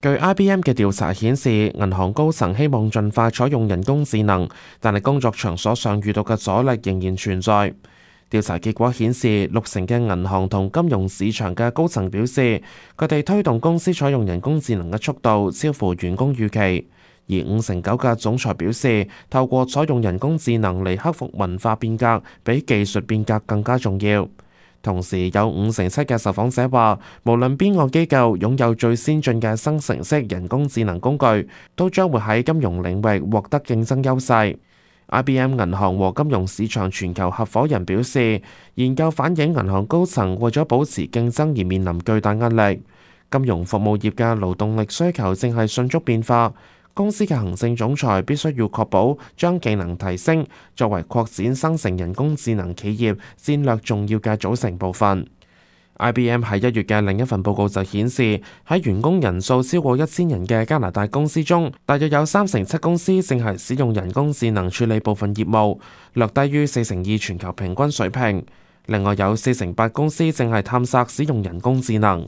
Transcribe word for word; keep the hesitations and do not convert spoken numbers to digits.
據 I B M 嘅調查顯示，銀行高層希望盡快採用人工智能，但係工作場所上遇到嘅阻力仍然存在。調查結果顯示，六成嘅銀行同金融市場嘅高層表示，佢哋推動公司採用人工智能嘅速度超乎員工預期，而五成九嘅總裁表示，透過採用人工智能嚟克服文化變革，比技術變革更加重要。同時有五成七嘅受訪者話，無論邊個機構擁有最先進嘅生成式人工智能工具，都將會喺金融領域獲得競爭優勢。I B M 銀行和金融市場全球合夥人表示，研究反映銀行高層為咗保持競爭而面臨巨大壓力。金融服務業嘅勞動力需求正係迅速變化。公司嘅行政總裁必須要確保將技能提升作為擴展生成人工智能企業戰略重要嘅組成部分。I B M 喺一月嘅另一份報告就顯示，喺員工人數超過一千人嘅加拿大公司中，大約有三成七公司正係使用人工智能處理部分業務，略低於四成二全球平均水平。另外有四成八公司正係探索使用人工智能。